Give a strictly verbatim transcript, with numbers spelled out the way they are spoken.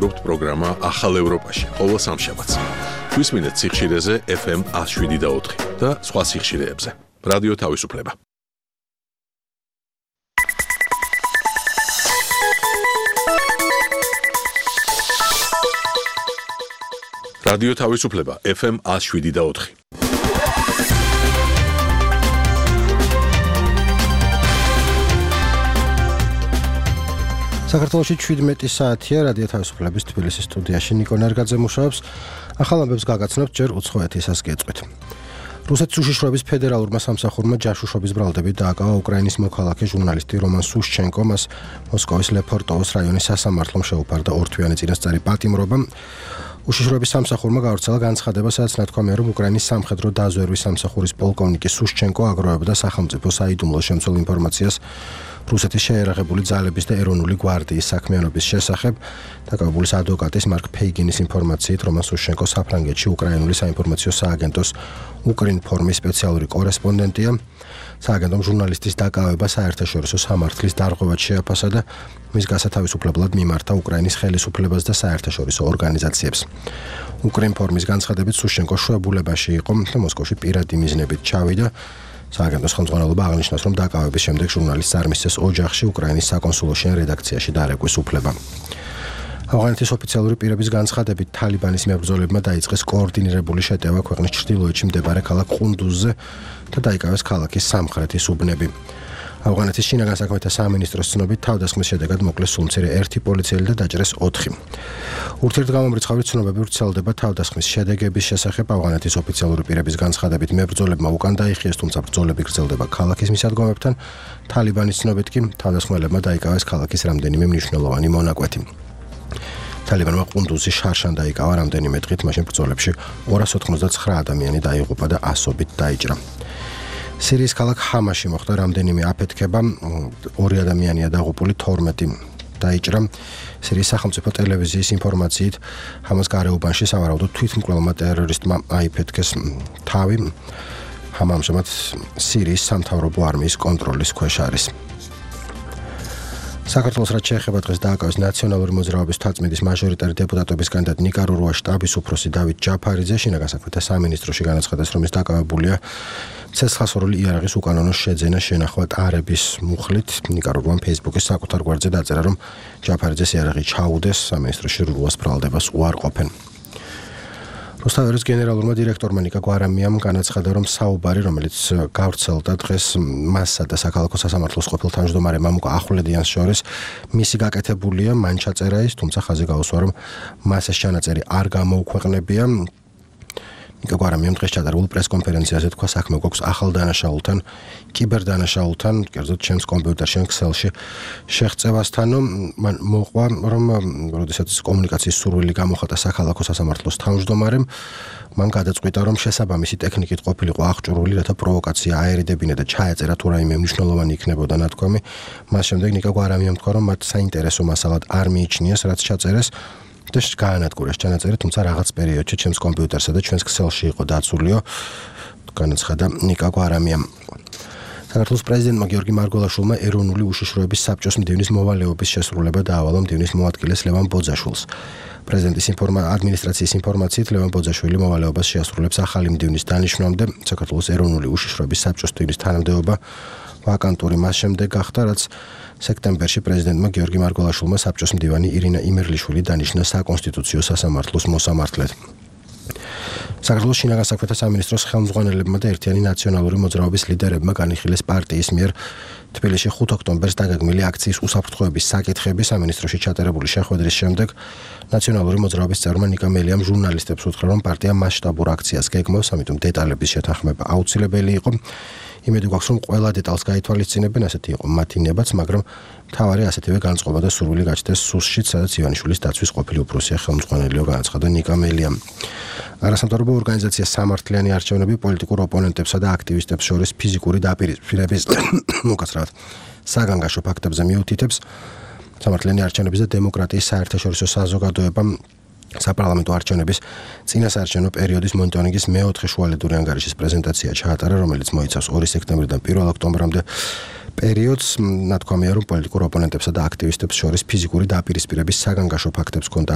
გრუპ პროგრამა ახალ ევროპაში ყოველ სამშაბათს. გვისმინეთ სიხშირეზე ეფ ემ one oh seven და ოთხი და სხვა სიხშირეებზე. რადიო თავისუფლება. რადიო თავისუფლება ეფ ემ one oh seven და ოთხი. საქართველოში შვიდმეტი საათია რადიო თავისუფლების თბილისის სტუდიაში ნიკო ნერგაძე მუშაობს. ახალ ამბებს გაგაცნობთ ჯერ უცხო ეთისას გეწყვით. რუსეთის უშიშროების ფედერალურმა სამსახურმა ჯაშუშობის ბრალდებით დააკავა უკრაინის მოქალაქე ჟურნალისტი რომან სუშჩენკო, მას მოსკოვის ლეფორტოვოს რაიონის სასამართლომ შეუფარდა ორთვიანი წინასწარი პატიმრობა. უშიშროების სამსახურმა გავრცელა განცხადება, სადაც ნათქვამია, რომ უკრაინის სამხედრო დაზვერვის სამსახურის პოლკოვნიკი სუშჩენკო აგროვებდა სახელმწიფო საიდუმლო შემცველ ინფორმაციას რუსეთის შეერაღებული ძალების და ეროვნული გვარდიის საქმიანობის შესახებ. დაკავებულის ადვოკატის მარკ ფეიგინის ინფორმაციით, რომან სუშჩენკო საფრანგეთში უკრაინული საინფორმაციო სააგენტოს უკრინფორმის სპეციალური კორესპონდენტია. სააგენტომ ჟურნალისტის დაკავება საერთაშორისო სამართლის დარღვევად შეაფასა და მის გასათავისუფლებლად მიმართა უკრაინის ხელისუფლებას და საერთაშორისო ორგანიზაციებს. უკრინფორმის განცხადებით სუშჩენკო შვებულებაში იყო და მოსკოვში პირადი მიზნებით ჩავიდა. სააგენტოს ხელმძღვანელობა აღნიშნავს, რომ დაკავების შემდეგ ჟურნალისტს არ მისცეს ოჯახში უკრაინის საკონსულოში ან რედაქციაში დარეგვის უფლება. ავღანეთის ოფიციალური პირების განცხადებით, თალიბანის მებრძოლებმა დაიწყეს კოორდინირებული შეტევა ქვეყნის ჩრდილოეთში მდებარე ქალაქ ყუნდუზზე და დაიკავეს ქალაქის სამხრეთის უბნები. ავღანეთის შინაგან საქმეთა სამინისტროს ცნობით, თავდასხმის შედეგად მოკლეს სულმცირე ერთი პოლიციელი და დაჭრეს ოთხი. ურთიერთგამომრიცხავი ცნობები ვრცელდება თავდასხმის შედეგების შესახებ. ავღანეთის ოფიციალური პირების განცხადებით, მებრძოლებმა უკან დაიხიეს, თუმცა ბრძოლები გრძელდება ქალაქის მისადგომებთან. თალიბანის ცნობით კი თავდასხმელებმა დაიკავეს ქალაქის რამდენიმე მნიშვნელოვანი მონაკვეთი. თალიბანმა ყუნდუზის შარშან დაიკავა რამდენიმე დღით, მაშინ ბრძოლებში ორას ოთხმოცდაცხრა ადამიანი დაიღუპა და ასობით დაიჭრა. სირიის ქალაქ ჰამაში მოხდა რამდენიმე აფეთქება, ორი ადამიანია დაღუპული, თორმეტი დაიჭრა. სირიის სახელმწიფო ტელევიზიის ინფორმაციით, ჰამას გარეუბანში სავარაუდოდ თვითმკვლელმა ტერორისტმა აიფეთქეს თავი. ჰამა ამჟამად სირიის სამთავრობო არმიის კონტროლის ქვეშ არის. საქართველოს რაც შეეხება დღეს დააკავეს ნაციონალური მოძრაობის თვალწმიდის მაჟორიტარი დეპუტატობის კანდიდატ ნიკარაგუას შტაბის უფროსი დავით ჯაფარიძე შინაგან საქმეთა სამინისტროში განაცხადეს, რომ ის დაკავებულია ცეცხლსასროლი იარაღის უკანონო შეძენა შენახვა ტარების მუხლით. ნიკარაგუამ ფეისბუქის საკუთარ გვერდზე დაწერა, რომ ჯაფარიძეს იარაღი ჩაუდეს, სამინისტროში რუას ბრალდებას უარყოფენ. რუსთაველის გენერალურმა დირექტორმა ნიკა გვარამიამ განაცხადა, რომ საუბარი, რომელიც გავრცელდა დღეს მასსა და საქალაქო სასამართლოს ყოფილ თავმჯდომარე მამუკა ახვლედიანს შორის, მისი გაკეთებულია, მან ჩაწერა ის, თუმცა ხაზი გაუსვა, რომ მას ეს ჩანაწერი არ გამოუქვეყნებია. ნიკა გვარამიამ დღეს ჩატარებულ პრესკონფერენციაზე თქვა, საქმე გვაქვს ახალ დანაშაულთან, კიბერდანაშაულთან, კერძოდ ჩემს კომპიუტერში ან ქსელში შეღწევასთან. მან მოყვა, რომ როდესაც კომუნიკაციის სურვილი გამოხატა საქალაქო სასამართლოს თავმჯდომარემ, მან გადაწყვიტა, რომ შესაბამისი ტექნიკით ყოფილიყო აღჭურვილი, რათა პროვოკაცია აერიდებინა და ჩაეწერა თუ რაიმე მნიშვნელოვანი იქნებოდა ნათქვამი. მას შემდეგ ნიკა გვარამიამ თქვა, რომ მათ საინტერესო მასალად არ მიიჩნიეს, რაც ჩაწერეს და გაანადგურეს ჩანაწერი, თუმცა რაღაც პერიოდში ჩემს კომპიუტერსა და ჩვენს ქსელში იყო დაცულიო, განაცხადა ნიკა გვარამიამ. საქართველოს პრეზიდენტმა გიორგი მარგველაშვილმა ეროვნული უშიშროების საბჭოს მდივნის მოვალეობის შესრულება დაავალა მდივნის მოადგილეს ლევან ბოძაშვილს. პრეზიდენტის ადმინისტრაციის ინფორმაციით, ლევან ბოძაშვილი მოვალეობას შეასრულებს ახალი მდივნის დანიშვნამდე. საქართველოს ეროვნული უშიშროების საბჭოს მდივნის თანამდებობა ვაკანტური მას შემდეგ გახდა, რაც სექტემბერში პრეზიდენტმა გიორგი მარგველაშვილმა საბჭოს მდივანი ირინა იმერლიშვილი დანიშნა საკონსტიტუციო სასამართლოს მოსამართლედ. საქართველოს შინაგან საქმეთა სამინისტროს ხელმძღვანელებმა და ერთიანი ნაციონალური მოძრაობის ლიდერებმა განიხილეს პარტიის მიერ თბილისში ხუთ ოქტომბერს დაგეგმილი აქციის უსაფრთხოების საკითხები. სამინისტროში ჩატარებული შეხვედრის შემდეგ ნაციონალური მოძრაობის წევრმა ნიკა მელიამ ჟურნალისტებს უთხრა, რომ პარტია მასშტაბურ აქციას გეგმავს, ამიტომ დეტალების შეთანხმება აუცილებელი იყო. იმედი გვაქვს, რომ ყველა დეტალს გაითვალისწინებენ, ასეთი იყო მათი ნებაც, მაგრამ მთავარი ასეთივე განწყობა და სურვილი გაჩნდეს სუსშიც, სადაც ივანიშვილის დაცვის ყოფილი უფროსია ხელმძღვანელიო, განაცხადა ნიკა მელიამ. არასამთავრობო ორგანიზაცია სამართლიანი არჩევნები პოლიტიკურ ოპონენტებსა და აქტივისტებს შორის ფიზიკური დაპირისპირების უკაცრავად საგანგაშო ფაქტებზე მიუთითებს. სამართლიანი არჩევნების და დემოკრატიის საერთაშორისო საზოგადოებამ საპარლამენტო არჩევნების წინასაარჩევნო პერიოდის მონიტორინგის მეოთხე შუალედური ანგარიშის პრეზენტაცია ჩაატარა, რომელიც მოიცავს ორი სექტემბრიდან პირველ ოქტომბრამდე პერიოდს. ნათქვამია, რომ პოლიტიკურ ოპონენტებსა და აქტივისტებს შორის ფიზიკური დაპირისპირების საგანგაშო ფაქტებს ჰქონდა